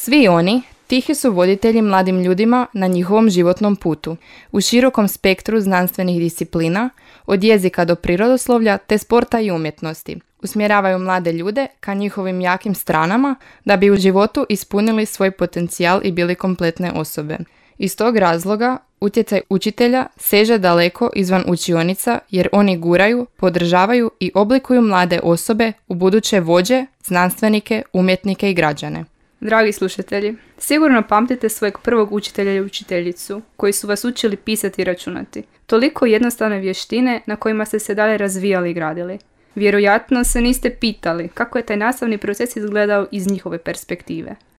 Svi oni tihi su voditelji mladim ljudima na njihovom životnom putu, u širokom spektru znanstvenih disciplina, od jezika do prirodoslovlja te sporta i umjetnosti. Usmjeravaju mlade ljude ka njihovim jakim stranama da bi u životu ispunili svoj potencijal i bili kompletne osobe. Iz tog razloga utjecaj učitelja seže daleko izvan učionica jer oni guraju, podržavaju i oblikuju mlade osobe u buduće vođe, znanstvenike, umjetnike i građane. Dragi slušatelji, sigurno pamtite svojeg prvog učitelja i učiteljicu koji su vas učili pisati i računati. Toliko jednostavne vještine na kojima ste se dalje razvijali i gradili. Vjerojatno se niste pitali kako je taj nastavni proces izgledao iz njihove perspektive.